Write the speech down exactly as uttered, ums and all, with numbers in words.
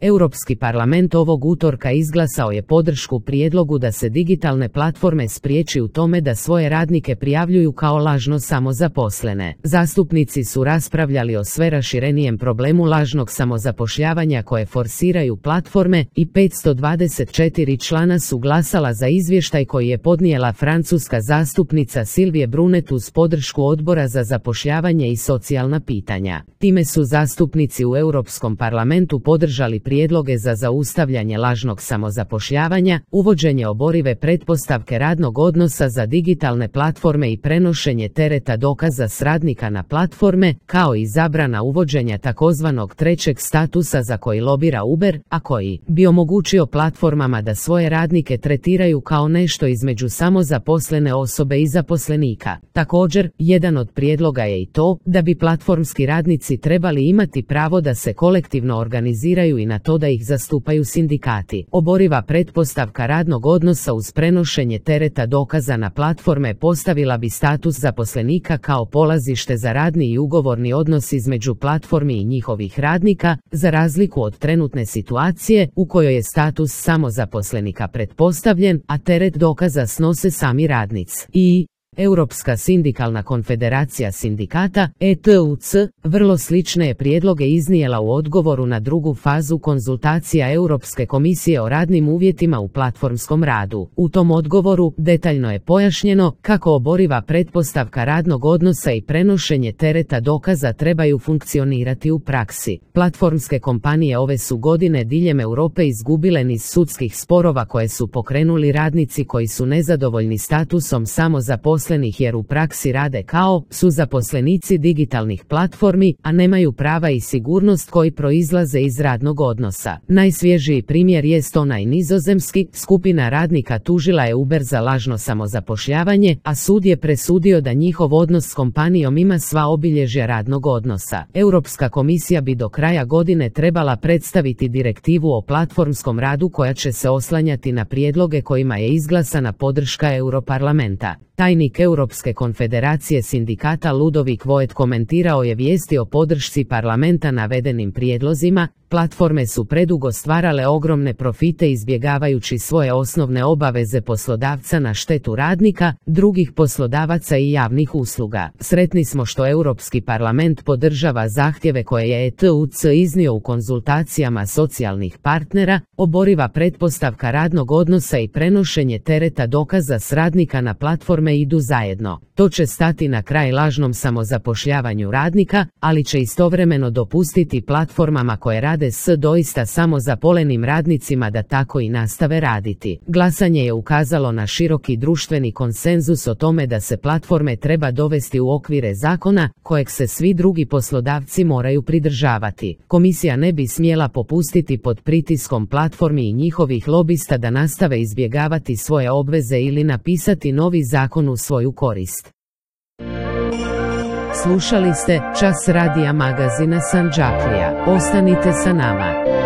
Europski parlament ovog utorka izglasao je podršku prijedlogu da se digitalne platforme spriječi u tome da svoje radnike prijavljuju kao lažno samozaposlene. Zastupnici su raspravljali o sve raširenijem problemu lažnog samozapošljavanja koje forsiraju platforme i petsto dvadeset četiri člana su glasala za izvještaj koji je podnijela francuska zastupnica Sylvie Brunet uz podršku Odbora za zapošljavanje i socijalna pitanja. Time su zastupnici u Europskom parlamentu podržali prijedloge za zaustavljanje lažnog samozapošljavanja, uvođenje oborive pretpostavke radnog odnosa za digitalne platforme i prenošenje tereta dokaza s radnika na platforme, kao i zabrana uvođenja takozvanog trećeg statusa za koji lobira Uber, a koji bi omogućio platformama da svoje radnike tretiraju kao nešto između samozaposlene osobe i zaposlenika. Također, jedan od prijedloga je i to da bi platformski radnici trebali imati pravo da se kolektivno organiziraju i na to da ih zastupaju sindikati. Oboriva pretpostavka radnog odnosa uz prenošenje tereta dokaza na platforme postavila bi status zaposlenika kao polazište za radni i ugovorni odnos između platformi i njihovih radnika, za razliku od trenutne situacije u kojoj je status samozaposlenika pretpostavljen, a teret dokaza snose sami radnici. I Europska sindikalna konfederacija sindikata, E T U C, vrlo slične je prijedloge iznijela u odgovoru na drugu fazu konzultacija Europske komisije o radnim uvjetima u platformskom radu. U tom odgovoru detaljno je pojašnjeno kako oboriva pretpostavka radnog odnosa i prenošenje tereta dokaza trebaju funkcionirati u praksi. Platformske kompanije ove su godine diljem Europe izgubile niz sudskih sporova koje su pokrenuli radnici koji su nezadovoljni statusom samozaposlenih jer u praksi rade kao su zaposlenici digitalnih platformi, a nemaju prava i sigurnost koji proizlaze iz radnog odnosa. Najsvježiji primjer jest onaj nizozemski. Skupina radnika tužila je Uber za lažno samozapošljavanje, a sud je presudio da njihov odnos s kompanijom ima sva obilježja radnog odnosa. Europska komisija bi do kraja godine trebala predstaviti direktivu o platformskom radu koja će se oslanjati na prijedloge kojima je izglasana podrška Europarlamenta. Tajnik Europske konfederacije sindikata Ludovik Voet komentirao je vijesti o podršci parlamenta navedenim prijedlozima. Platforme su predugo stvarale ogromne profite izbjegavajući svoje osnovne obaveze poslodavca na štetu radnika, drugih poslodavaca i javnih usluga. Sretni smo što Europski parlament podržava zahtjeve koje je E T U C iznio u konzultacijama socijalnih partnera, oboriva pretpostavka radnog odnosa i prenošenje tereta dokaza s radnika na platforme idu zajedno. To će stati na kraj lažnom samozapošljavanju radnika, ali će istovremeno dopustiti platformama koje rade s doista samozaposlenim radnicima da tako i nastave raditi. Glasanje je ukazalo na široki društveni konsenzus o tome da se platforme treba dovesti u okvire zakona kojeg se svi drugi poslodavci moraju pridržavati. Komisija ne bi smjela popustiti pod pritiskom platformi i njihovih lobista da nastave izbjegavati svoje obveze ili napisati novi zakon u svoju korist. Slušali ste Čas radija magazina Sandžaklija. Ostanite sa nama.